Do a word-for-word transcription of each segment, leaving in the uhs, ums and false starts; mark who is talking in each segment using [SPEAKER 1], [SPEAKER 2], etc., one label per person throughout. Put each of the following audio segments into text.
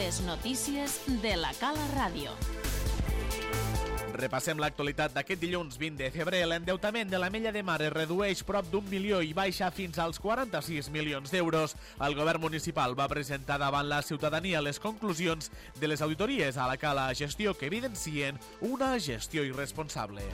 [SPEAKER 1] Les notícies de la Cala Ràdio.
[SPEAKER 2] Repassem l'actualitat d'aquest dilluns vint de febrer. L'endeutament de l'Ametlla de Mar es redueix prop d'un milió i baixa fins als quaranta-sis milions d'euros. El govern municipal va presentar davant la ciutadania les conclusions de les auditories a la Cala Gestió que evidencien una gestió irresponsable.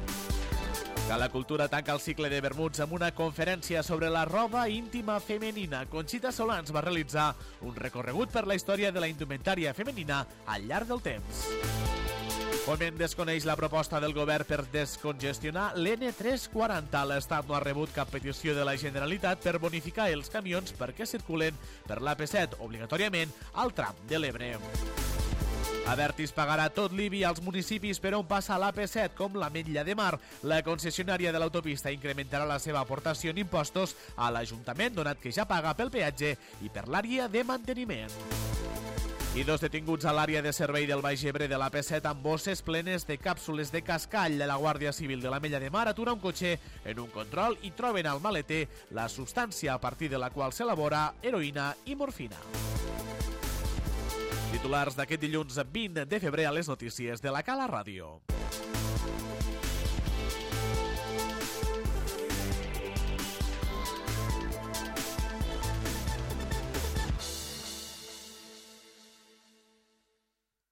[SPEAKER 2] Cala Cultura tanca el cicle de vermuts amb una conferència sobre la roba íntima femenina. Conxita Solans va realitzar un recorregut per la història de la indumentària femenina al llarg del temps. Foment desconeix la proposta del govern per descongestionar l'N tres quaranta. L'Estat no ha rebut cap petició de la Generalitat per bonificar els camions perquè circulen per l'A P set obligatòriament al tram de l'Ebre. Abertis pagarà tot l'I B I als municipis per on passa l'A P set, com l'Ametlla de Mar. La concessionària de l'autopista incrementarà la seva aportació en impostos a l'Ajuntament, donat que ja paga pel peatge i per l'àrea de manteniment. I dos detinguts a l'àrea de servei del Baix Ebre de l'A P set amb bosses plenes de càpsules de cascall. La Guàrdia Civil de l'Ametlla de Mar atura un cotxe en un control i troben al maleter la substància a partir de la qual s'elabora heroïna i morfina. Titulars d'aquest dilluns vint de febrer a les notícies de la Cala Ràdio.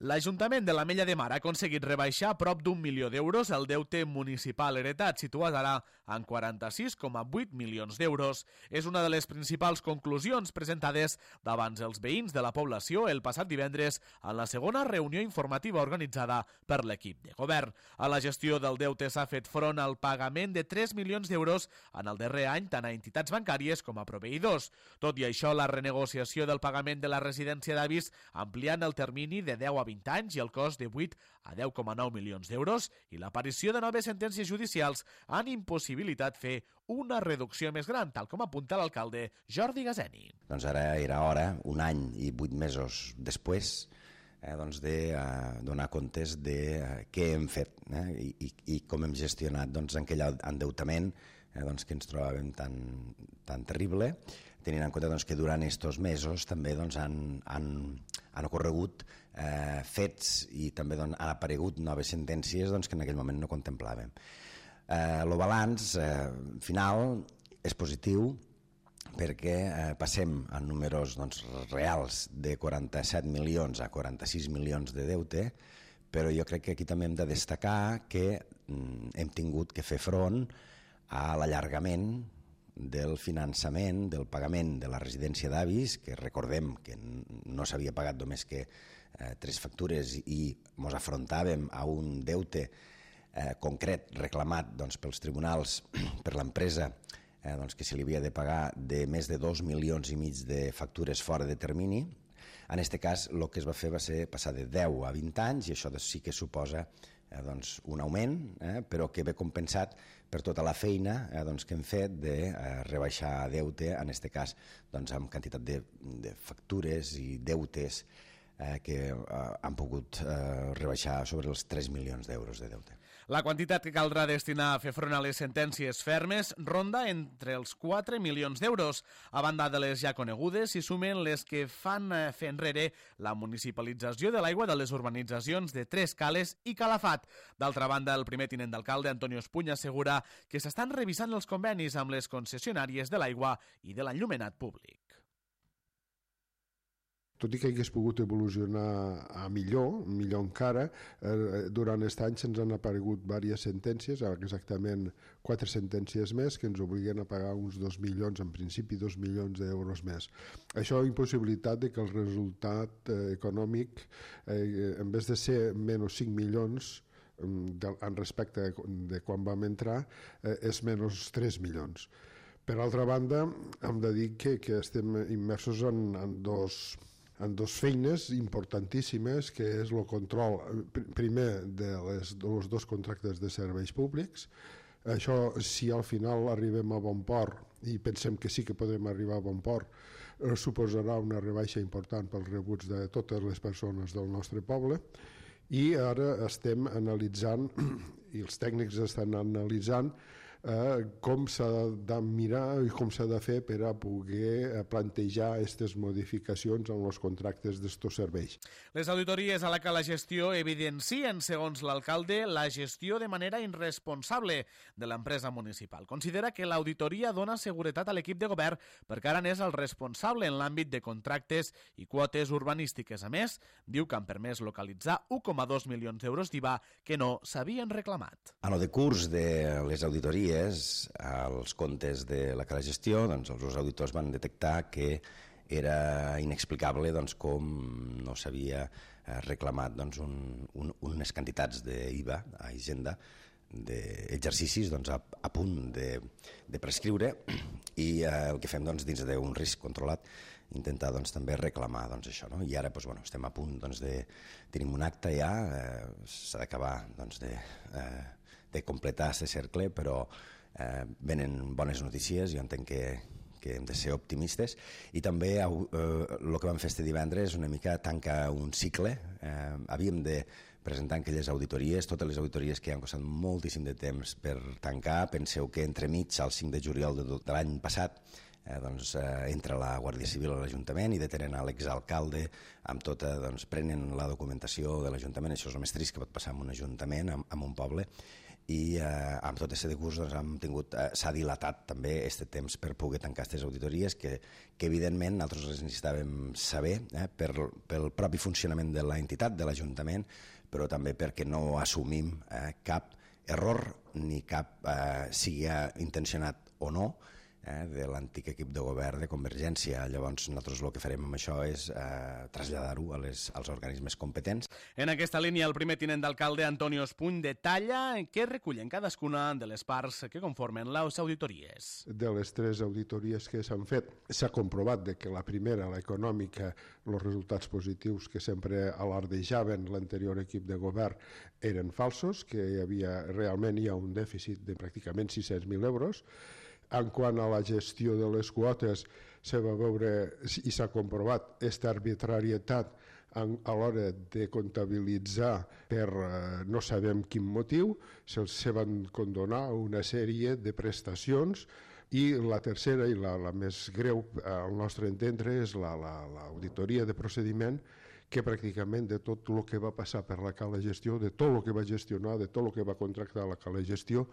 [SPEAKER 2] L'Ajuntament de l'Ametlla de Mar ha aconseguit rebaixar prop d'un milió d'euros el deute municipal heretat, situat ara en quaranta-sis coma vuit milions d'euros. És una de les principals conclusions presentades davant els veïns de la població el passat divendres en la segona reunió informativa organitzada per l'equip de govern. A la gestió del deute s'ha fet front al pagament de tres milions d'euros en el darrer any tant a entitats bancàries com a proveïdors. Tot i això, la renegociació del pagament de la residència d'avis ampliant el termini de deu a vint anys i el cost de vuit a deu coma nou milions d'euros i l'aparició de noves sentències judicials han impossibilitat fer una reducció més gran, tal com apunta l'alcalde Jordi Gazeni.
[SPEAKER 3] Doncs ara era hora, un any i vuit mesos després, eh, doncs de eh, donar comptes de eh, què hem fet eh, i, i, i com hem gestionat doncs, aquell endeutament eh, doncs, que ens trobàvem tan, tan terrible, tenint en compte doncs, que durant aquests mesos també doncs, han, han, han ocorregut eh, fets i també doncs, han aparegut noves sentències doncs, que en aquell moment no contemplàvem. Eh, el balanç eh, final és positiu perquè eh, passem a números doncs, reals de quaranta-set milions a quaranta-sis milions de deute, però jo crec que aquí també hem de destacar que mm, hem tingut que fer front a l'allargament del finançament, del pagament de la residència d'avis, que recordem que no s'havia pagat només que eh, tres factures i ens afrontàvem a un deute eh, concret reclamat doncs, pels tribunals per l'empresa eh, doncs, que se li havia de pagar de més de dos milions i mig de factures fora de termini. En aquest cas, el que es va fer va ser passar de deu a vint anys i això sí que suposa eh, doncs, un augment, eh, però que ve compensat per tota la feina eh, doncs, que hem fet de eh, rebaixar deute, en aquest cas doncs, amb quantitat de, de factures i deutes eh, que eh, han pogut eh, rebaixar sobre els tres milions d'euros de deute.
[SPEAKER 2] La quantitat que caldrà destinar a fer front a les sentències fermes ronda entre els quatre milions d'euros. A banda de les ja conegudes, s'hi sumen les que fan fer enrere la municipalització de l'aigua de les urbanitzacions de Tres Cales i Calafat. D'altra banda, el primer tinent d'alcalde, Antonio Espuña, assegura que s'estan revisant els convenis amb les concessionàries de l'aigua i de l'enllumenat públic.
[SPEAKER 4] Tot i que hagués pogut evolucionar a millor, millor encara, eh, durant aquest any se'ns han aparegut diverses sentències, exactament quatre sentències més, que ens obliguen a pagar uns dos milions, en principi dos milions d'euros més. Això ha impossibilitat de que el resultat eh, econòmic, eh, en vez de ser menys cinc milions, de, en respecte de quan vam entrar, eh, és menys tres milions. Per altra banda, hem de dir que, que estem immersos en, en dos... en dues feines importantíssimes, que és el control, primer, de les, dels dos contractes de serveis públics. Això, si al final arribem a bon port, i pensem que sí que podem arribar a bon port, eh, suposarà una rebaixa important pels rebuts de totes les persones del nostre poble. I ara estem analitzant, i els tècnics estan analitzant, eh, com s'ha de mirar i com s'ha de fer per a poder plantejar aquestes modificacions en els contractes d'estos serveis.
[SPEAKER 2] Les auditories a la que la gestió evidencien, segons l'alcalde, la gestió de manera irresponsable de l'empresa municipal. Considera que l'auditoria dona seguretat a l'equip de govern perquè ara n'és el responsable en l'àmbit de contractes i quotes urbanístiques. A més, diu que han permès localitzar un coma dos milions d'euros d'I V A que no s'havien reclamat.
[SPEAKER 3] En el decurs de les auditories als comptes de la cala gestió, doncs els auditors van detectar que era inexplicable doncs, com no s'havia reclamat doncs, un, un, unes quantitats d'I V A a Hisenda d'exercicis doncs, a, a punt de, de prescriure i eh, el que fem doncs, dins d'un risc controlat intentar doncs, també reclamar doncs, això. No? I ara doncs, bueno, estem a punt doncs, de... Tenim un acte ja, eh, s'ha d'acabar doncs, de, eh, de completar aquest cercle, però eh, venen bones notícies, jo entenc que, que hem de ser optimistes i també eh, el que vam fer este divendres una mica tanca un cicle. Eh, havíem de presentar aquelles auditories, totes les auditories que han costat moltíssim de temps per tancar. Penseu que entremig, al cinc de juliol de, de l'any passat, eh, doncs, eh, entra la Guàrdia Civil a l'Ajuntament i detenen a l'exalcalde amb tota, doncs, prenen la documentació de l'Ajuntament. Això és el més trist que pot passar en un ajuntament, en, en un poble, i eh, amb tot aquest decurs doncs, hem tingut, eh, s'ha dilatat també aquest temps per poder tancar aquestes auditories que, que evidentment nosaltres les necessitàvem saber eh, per, pel propi funcionament de l'entitat, de l'Ajuntament, però també perquè no assumim eh, cap error ni cap, eh, sigui intencionat o no, eh, de l'antic equip de govern de Convergència. Llavors nosaltres el que farem amb això és eh, traslladar-ho a les, als organismes competents.
[SPEAKER 2] En aquesta línia, el primer tinent d'alcalde, Antonio Espuny, detalla què recullen cadascuna de les parts que conformen les auditories.
[SPEAKER 4] De les tres auditories que s'han fet, s'ha comprovat de que la primera, l'econòmica, els resultats positius que sempre alardejaven l'anterior equip de govern eren falsos, que hi havia, realment hi ha un dèficit de pràcticament sis-cents mil euros. En quant a la gestió de les quotes, se va veure i s'ha comprovat aquesta arbitrarietat en, a l'hora de comptabilitzar per eh, no sabem quin motiu, se'ls se van condonar una sèrie de prestacions i la tercera i la, la més greu al nostre entendre és l'auditoria la, la, de procediment que pràcticament de tot el que va passar per la cala gestió, de tot el que va gestionar, de tot el que va contractar la cala gestió,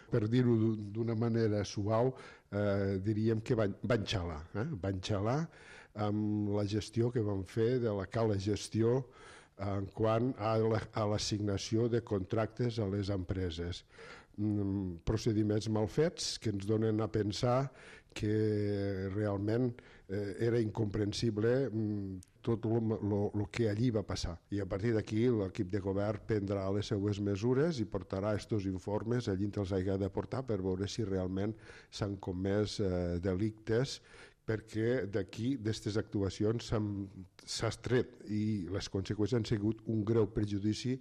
[SPEAKER 4] per dir-ho d'una manera suau, eh, diríem que van, van xalar, eh? van xalar amb la gestió que van fer de la cala gestió en quant a l'assignació de contractes a les empreses. Mm, procediments mal fets que ens donen a pensar que realment eh, era incomprensible mm, tot el que allí va passar. I a partir d'aquí l'equip de govern prendrà les seues mesures i portarà aquests informes allí on els hagi de portar per veure si realment s'han comès eh, delictes, perquè d'aquí, d'aquestes actuacions, s'ha extret i les conseqüències han sigut un greu perjudici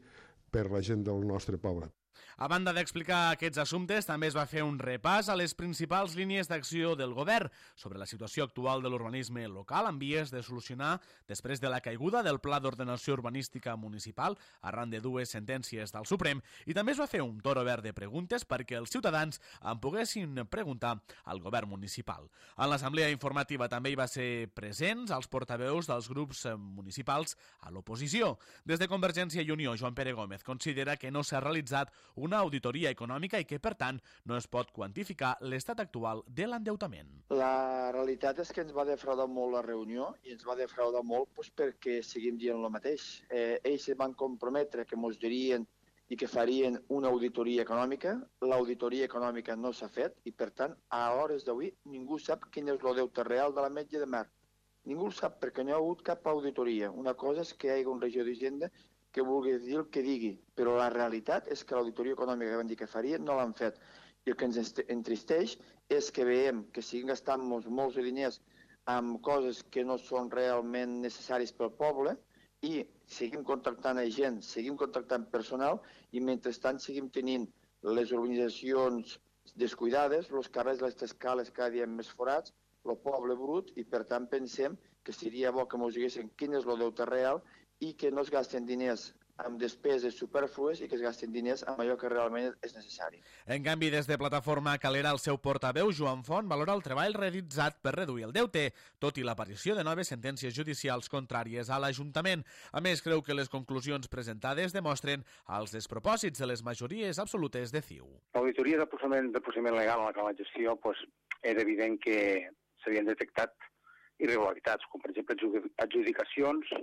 [SPEAKER 4] per la gent del nostre poble.
[SPEAKER 2] A banda d'explicar aquests assumptes, també es va fer un repàs a les principals línies d'acció del govern sobre la situació actual de l'urbanisme local en vies de solucionar després de la caiguda del Pla d'Ordenació Urbanística Municipal arran de dues sentències del Suprem, i també es va fer un torn obert de preguntes perquè els ciutadans en poguessin preguntar al govern municipal. En l'assemblea informativa també hi va ser presents els portaveus dels grups municipals a l'oposició. Des de Convergència i Unió, Joan Pere Gómez considera que no s'ha realitzat una auditoria econòmica i que, per tant, no es pot quantificar l'estat actual de l'endeutament.
[SPEAKER 5] La realitat és que ens va defraudar molt la reunió i ens va defraudar molt doncs, perquè seguim dient el mateix. Eh, ells van comprometre que ens dirien i que farien una auditoria econòmica. L'auditoria econòmica no s'ha fet i, per tant, a hores d'avui ningú sap quin és el deute real de l'Ametlla de Mar. Ningú sap perquè no hi ha hagut cap auditoria. Una cosa és que hi hagi un regidor d'Hisenda que vulgui dir el que digui, però la realitat és que l'auditoria econòmica que van dir que farien no l'han fet. I el que ens entristeix és que veiem que siguin gastant-nos molts diners amb coses que no són realment necessaris pel poble i seguim contractant gent, seguim contractant personal i mentrestant seguim tenint les urbanitzacions descuidades, els carrers, les escales cada dia més forats, el poble brut, i per tant pensem que seria bo que ens diguessin quin és el deute real i que no es gasten diners amb despeses superflues i que es gastin diners amb allò que realment és necessari.
[SPEAKER 2] En canvi, des de Plataforma Calera, el seu portaveu, Joan Font, valora el treball realitzat per reduir el deute, tot i l'aparició de noves sentències judicials contràries a l'Ajuntament. A més, creu que les conclusions presentades demostren els despropòsits de les majories absolutes de C I U.
[SPEAKER 6] L'auditoria del procediment, del procediment legal en la gestió pues, era evident que s'havien detectat irregularitats, com per exemple adjudicacions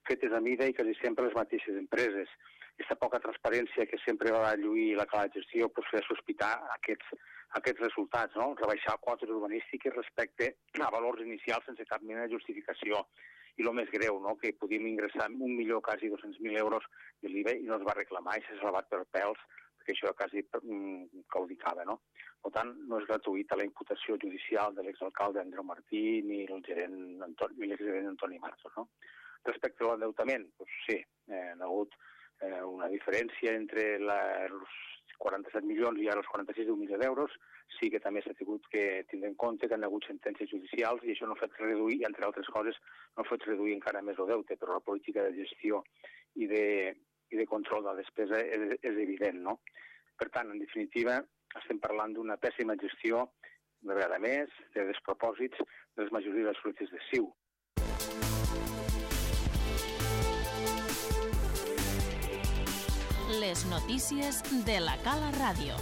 [SPEAKER 6] fetes a mida i quasi sempre les mateixes empreses. Aquesta poca transparència que sempre va lluir la cala de gestió pues, feia sospitar aquests, aquests resultats, no? Rebaixar quotes urbanístiques respecte a valors inicials sense cap mena de justificació. I el més greu, no? Que podíem ingressar un milió, quasi dos-cents mil euros de l'I V A i no es va reclamar i s'ha salvat per pèls, perquè això quasi mm, caudicava, no? Per tant, no és gratuïta la imputació judicial de l'exalcalde Andreu Martí ni el gerent Antoni, ni l'exgerent Antoni Marzos, no? Respecte a l'endeutament, doncs sí, eh, ha hagut eh, una diferència entre la, els quaranta-set milions i ara els quaranta-sis d'un milió d'euros. Sí que també s'ha tingut que tindre en compte que han hagut sentències judicials i això no ha fet reduir, i entre altres coses, no ha fet reduir encara més el deute, però la política de gestió i de, i de control de la despesa és, és evident, no? Per tant, en definitiva, estem parlant d'una pèssima gestió, una vegada més, de despropòsits de les majories absolutes de C I U.
[SPEAKER 1] Les notícies de la Cala Ràdio.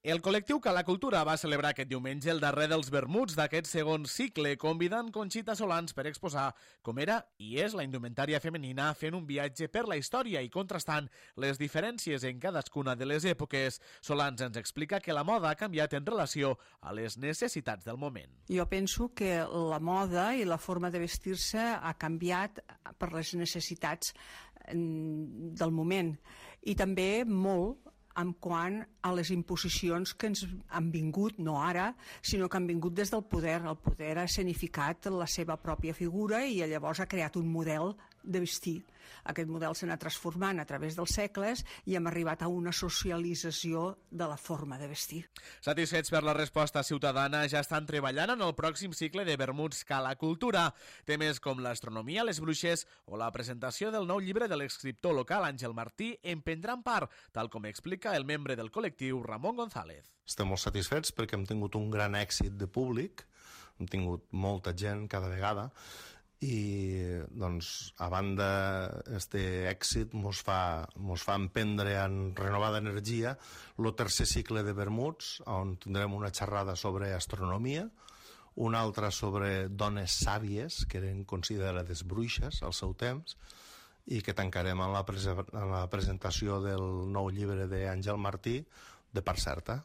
[SPEAKER 2] El col·lectiu Cala Cultura va celebrar aquest diumenge el darrer dels vermuts d'aquest segon cicle, convidant Conxita Solans per exposar com era i és la indumentària femenina fent un viatge per la història i contrastant les diferències en cadascuna de les èpoques. Solans ens explica que la moda ha canviat en relació a les necessitats del moment.
[SPEAKER 7] Jo penso que la moda i la forma de vestir-se ha canviat per les necessitats del moment i també molt en quant a les imposicions que ens han vingut, no ara, sinó que han vingut des del poder. El poder ha escenificat la seva pròpia figura i llavors ha creat un model de vestir. Aquest model s'ha anat transformant a través dels segles i hem arribat a una socialització de la forma de vestir.
[SPEAKER 2] Satisfets per la resposta ciutadana, ja estan treballant en el pròxim cicle de vermuts Cala Cultura. Temes com l'astronomia, les bruixes o la presentació del nou llibre de l'escriptor local Àngel Martí en prendran part, tal com explica el membre del col·lectiu Ramon González.
[SPEAKER 8] Estem molt satisfets perquè hem tingut un gran èxit de públic, hem tingut molta gent cada vegada, i doncs, a banda este èxit mos fa, mos fa emprendre en renovada energia el tercer cicle de vermuts, on tindrem una xerrada sobre astronomia, una altra sobre dones sàvies, que eren considerades bruixes al seu temps, i que tancarem en la, prese en la presentació del nou llibre d'Àngel Martí, de Part Certa.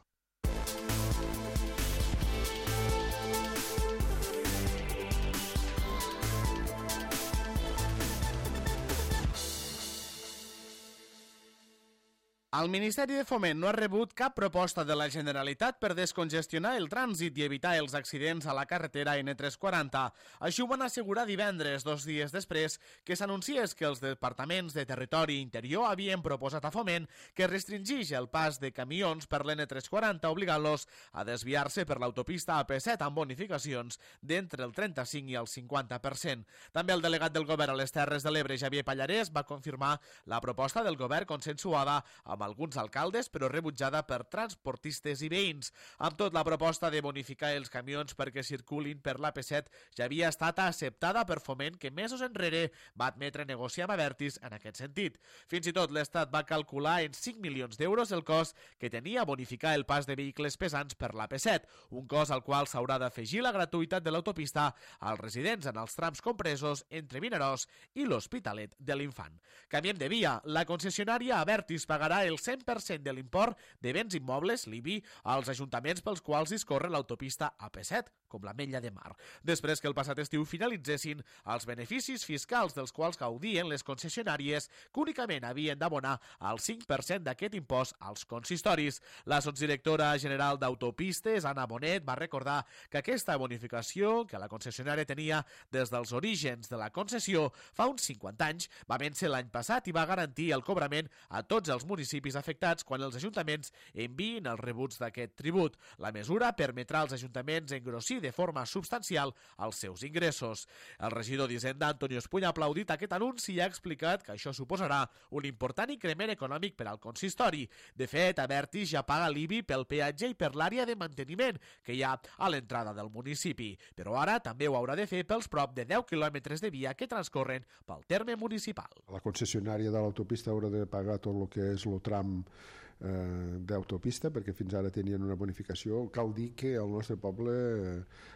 [SPEAKER 2] El Ministeri de Foment no ha rebut cap proposta de la Generalitat per descongestionar el trànsit i evitar els accidents a la carretera ene tres quaranta. Així ho van assegurar divendres, dos dies després, que s'anunciés que els departaments de Territori i Interior havien proposat a Foment que restringís el pas de camions per l'ene tres quaranta, obligant-los a desviar-se per l'autopista A P set amb bonificacions d'entre el trenta-cinc i el cinquanta per cent. També el delegat del govern a les Terres de l'Ebre, Xavier Pallarès, va confirmar la proposta del govern consensuada amb alguns alcaldes, però rebutjada per transportistes i veïns. Amb tot, la proposta de bonificar els camions perquè circulin per l'A P set ja havia estat acceptada per Foment, que mesos enrere va admetre negociar amb Abertis en aquest sentit. Fins i tot l'Estat va calcular en cinc milions d'euros el cost que tenia bonificar el pas de vehicles pesants per l'A P set, un cost al qual s'haurà d'afegir la gratuïtat de l'autopista als residents en els trams compresos entre Vinaròs i l'Hospitalet de l'Infant. Canviem de via. La concessionària Abertis pagarà el cent per cent de l'import de béns immobles, l'I B I, als ajuntaments pels quals discorre l'autopista A P set, com l'Ametlla de Mar, després que el passat estiu finalitzessin els beneficis fiscals dels quals gaudien les concessionàries, que únicament havien d'abonar el cinc per cent d'aquest impost als consistoris. La sotsdirectora general d'Autopistes, Anna Bonet, va recordar que aquesta bonificació que la concessionària tenia des dels orígens de la concessió fa uns cinquanta anys va vèncer l'any passat i va garantir el cobrament a tots els municipis municipis afectats quan els ajuntaments enviïn els rebuts d'aquest tribut. La mesura permetrà als ajuntaments engrossir de forma substancial els seus ingressos. El regidor d'Hisenda, Antonio Espuña, ha aplaudit aquest anunci i ha explicat que això suposarà un important increment econòmic per al consistori. De fet, Abertis ja paga l'I B I pel peatge i per l'àrea de manteniment que hi ha a l'entrada del municipi, però ara també ho haurà de fer pels prop de deu quilòmetres de via que transcorren pel terme municipal.
[SPEAKER 4] La concessionària de l'autopista haurà de pagar tot el que és el tram eh, d'autopista, perquè fins ara tenien una bonificació. Cal dir que al nostre poble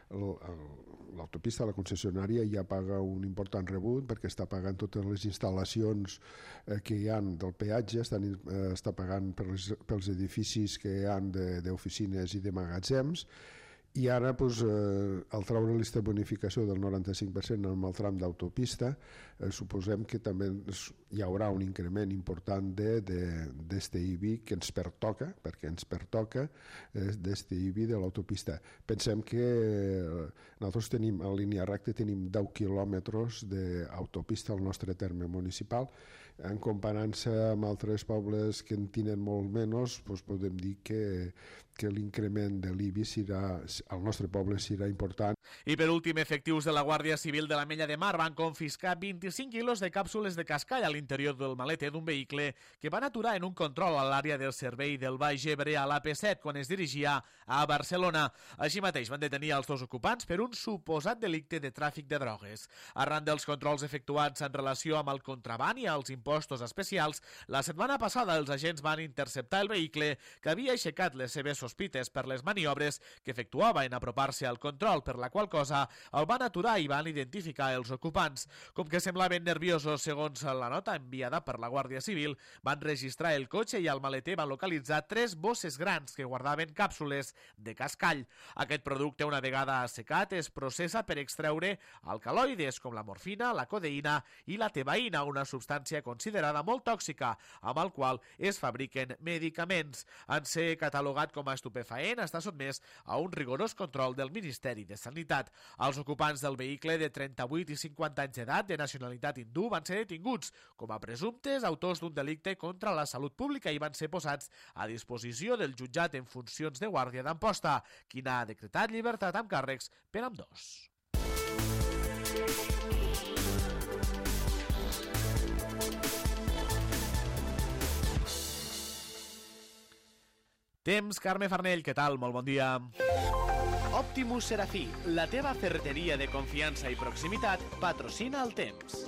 [SPEAKER 4] l'autopista, la concessionària, ja paga un important rebut perquè està pagant totes les instal·lacions eh, que hi ha del peatge, estan, eh, està pagant pels, pels edificis que hi ha d'oficines i de magatzems. I ara, doncs, eh, al treure aquesta bonificació del noranta-cinc per cent en el tram d'autopista, eh, suposem que també hi haurà un increment important d'este I B I que ens pertoca, perquè ens pertoca eh, d'este I B I de l'autopista. Pensem que eh, nosaltres tenim, a línia recta, tenim deu quilòmetres d'autopista al nostre terme municipal. En comparant-se amb altres pobles que en tenen molt menys, doncs podem dir que, que l'increment de l'I B I serà, al nostre poble serà important.
[SPEAKER 2] I per últim, efectius de la Guàrdia Civil de l'Ametlla de Mar van confiscar vint-i-cinc quilos de càpsules de cascall a l'interior del maleter d'un vehicle que van aturar en un control a l'àrea del servei del Baix Ebre a l'A P set quan es dirigia a Barcelona. Així mateix van detenir els dos ocupants per un suposat delicte de tràfic de drogues. Arran dels controls efectuats en relació amb el contraban i els impostos especials, la setmana passada els agents van interceptar el vehicle que havia aixecat les seves sospites per les maniobres que efectuava en apropar-se al control, per la qual cosa el van aturar i van identificar els ocupants. Com que semblaven nerviosos, segons la nota enviada per la Guàrdia Civil, van registrar el cotxe i al maleter van localitzar tres bosses grans que guardaven càpsules de cascall. Aquest producte, una vegada assecat, es processa per extreure alcaloides com la morfina, la codeïna i la tebaïna, una substància considerada molt tòxica, amb el qual es fabriquen medicaments. En ser catalogat com a estupefaent, està sotmès a un rigorós control del Ministeri de Sanitat. Els ocupants del vehicle de trenta-vuit i cinquanta anys d'edat de nacionalitat hindú van ser detinguts com a presumptes autors d'un delicte contra la salut pública i van ser posats a disposició del jutjat en funcions de guàrdia d'Amposta, qui n'ha decretat llibertat amb càrrecs per ambdós. Temps, Carme Farnell, què tal? Molt bon dia. Optimus Serafí, la teva ferreteria de confiança i proximitat, patrocina el temps.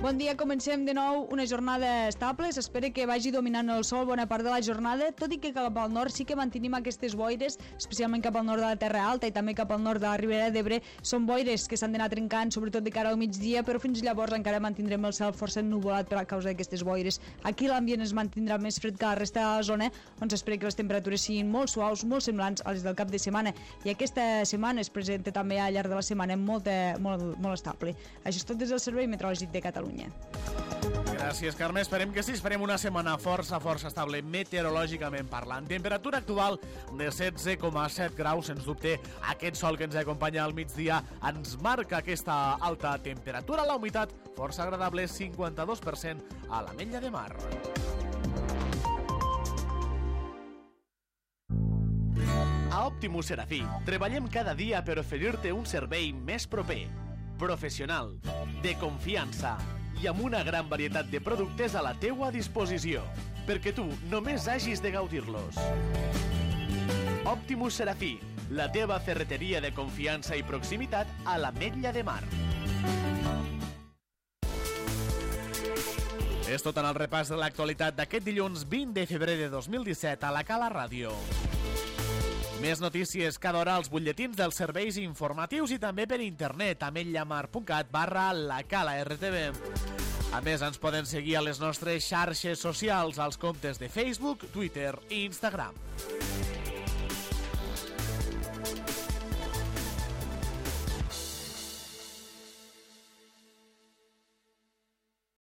[SPEAKER 9] Bon dia, comencem de nou una jornada estable. S'espera que vagi dominant el sol bona part de la jornada, tot i que cap al nord sí que mantenim aquestes boires, especialment cap al nord de la Terra Alta i també cap al nord de la Ribera d'Ebre. Són boires que s'han d'anar trencant, sobretot de cara al migdia, però fins llavors encara mantindrem el cel força ennuvolat per a causa d'aquestes boires. Aquí l'ambient es mantindrà més fred que la resta de la zona, on s'espera que les temperatures siguin molt suaus, molt semblants a les del cap de setmana. I aquesta setmana es presenta també al llarg de la setmana molt, molt, molt estable. Això és tot des del Servei Meteorològic de Catalunya.
[SPEAKER 2] Gràcies, Carme. Esperem que sí. Esperem una setmana força, força estable meteorològicament parlant. Temperatura actual de setze coma set graus. Sens dubte, aquest sol que ens acompanya al migdia ens marca aquesta alta temperatura. La humitat força agradable, cinquanta-dos per cent a l'Ametlla de Mar. A Optimus Serafí treballem cada dia per oferir-te un servei més proper, professional, de confiança i amb una gran varietat de productes a la teua disposició, perquè tu només hagis de gaudir-los. Optimus Serafí, la teva ferreteria de confiança i proximitat a l'Ametlla de Mar. És tot en el repàs de l'actualitat d'aquest dilluns vint de febrer de dos mil disset a la Cala Ràdio. Més notícies cada hora als butlletins dels serveis informatius i també per internet a ametlllamar punt cat barra la Cala R T V. A més, ens poden seguir a les nostres xarxes socials, als comptes de Facebook, Twitter i Instagram.